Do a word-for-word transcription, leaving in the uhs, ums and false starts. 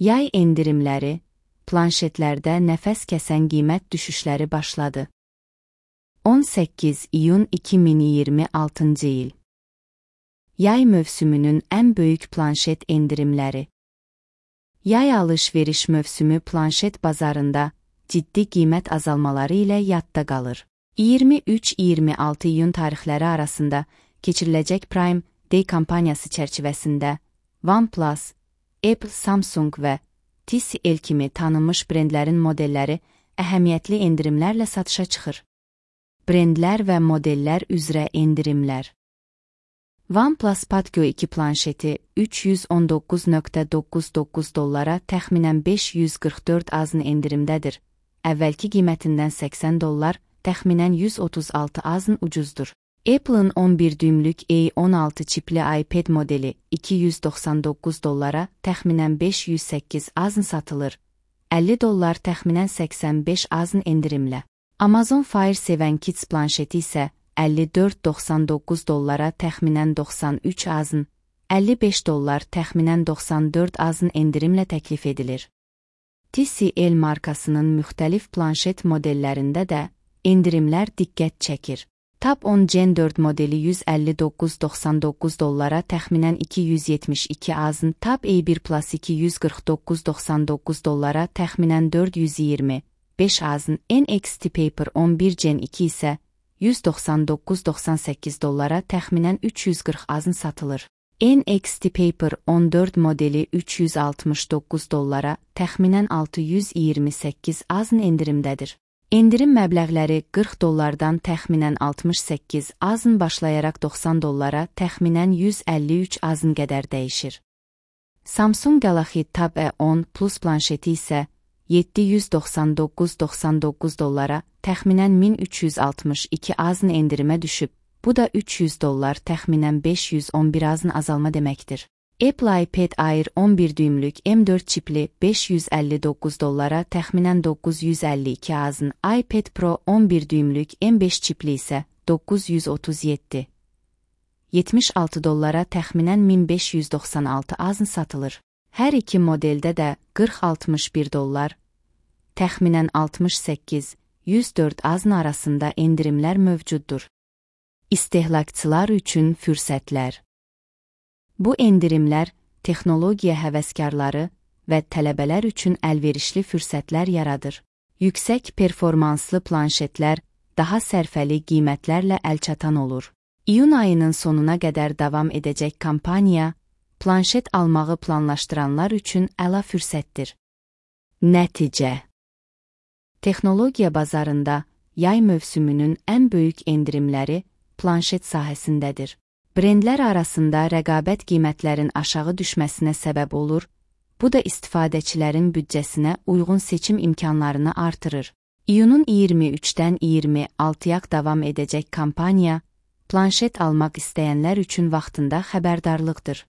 Yay endirimləri, planşetlərdə nəfəs kəsən qiymət düşüşləri başladı. on səkkiz iyun iki min iyirmi altıncı il. Yay mövsümünün ən böyük planşet endirimləri. Yay alış-veriş mövsümü planşet bazarında ciddi qiymət azalmaları ilə yadda qalır. iyirmi üç iyirmi altı iyun tarixləri arasında keçiriləcək Prime Day kampaniyası çərçivəsində OnePlus, Apple, Samsung və T C L kimi tanınmış brendlərin modelləri əhəmiyyətli endirimlərlə satışa çıxır. Brendlər və modellər üzrə endirimlər. OnePlus Patio iki planşeti üç yüz on doqquz nöqtə doqquz doqquz dollara təxminən beş yüz qırx dörd azın endirimdədir. Əvvəlki qiymətindən səksən dollar, təxminən yüz otuz altı azın ucuzdur. Apple'ın on bir düymlük A on altı çipli iPad modeli iki yüz doxsan doqquz dollara təxminən beş yüz səkkiz azın satılır. əlli dollar təxminən səksən beş azın endirimlə. Amazon Fire seven Kids planşeti isə əlli dörd doxsan doqquz dollara təxminən doxsan üç azın, əlli beş dollar təxminən doxsan dörd azın endirimlə təklif edilir. T C L markasının müxtəlif planşet modellərində də endirimlər diqqət çəkir. Tab on Gen dörd modeli yüz əlli doqquz doxsan doqquz dollara təxminən iki yüz yetmiş iki azın, Tab A bir Plus iki yüz qırx doqquz doxsan doqquz dollara təxminən dörd yüz iyirmi beş azın, N X T Paper on bir Gen iki isə yüz doxsan doqquz doxsan səkkiz dollara təxminən üç yüz qırx azın satılır. N X T Paper on dörd modeli üç yüz altmış doqquz dollara təxminən altı yüz iyirmi səkkiz azın endirimdədir. Endirim məbləğləri qırx dollardan təxminən altmış səkkiz azın başlayaraq doxsan dollara təxminən yüz əlli üç azın qədər dəyişir. Samsung Galaxy Tab A on Plus planşeti isə yeddi yüz doxsan doqquz doxsan doqquz dollara təxminən min üç yüz altmış iki azın endirimə düşüb. Bu da üç yüz dollar təxminən beş yüz on bir azın azalma deməkdir. Apple iPad Air on bir düymlük M dörd çipli beş yüz əlli doqquz dollara təxminən doqquz yüz əlli iki azın, iPad Pro on bir düymlük M beş çipli isə doqquz yüz otuz yeddi yetmiş altı dollara təxminən min beş yüz doxsan altı azın satılır. Hər iki modeldə də qırx altmış bir dollar, təxminən altmış səkkiz yüz dörd azın arasında endirimlər mövcuddur. İstehlakçılar üçün fürsətlər. Bu endirimlər texnologiya həvəskarları və tələbələr üçün əlverişli fürsətlər yaradır. Yüksək performanslı planşetlər daha sərfəli qiymətlərlə əlçatan olur. İyun ayının sonuna qədər davam edəcək kampaniya, planşet almağı planlaşdıranlar üçün əla fürsətdir. Nəticə. Texnologiya bazarında yay mövsümünün ən böyük endirimləri planşet sahəsindədir. Brendlər arasında rəqabət qiymətlərin aşağı düşməsinə səbəb olur, bu da istifadəçilərin büdcəsinə uyğun seçim imkanlarını artırır. İyunun iyirmi üçdən iyirmi altıya davam edəcək kampaniya, planşet almaq istəyənlər üçün vaxtında xəbərdarlıqdır.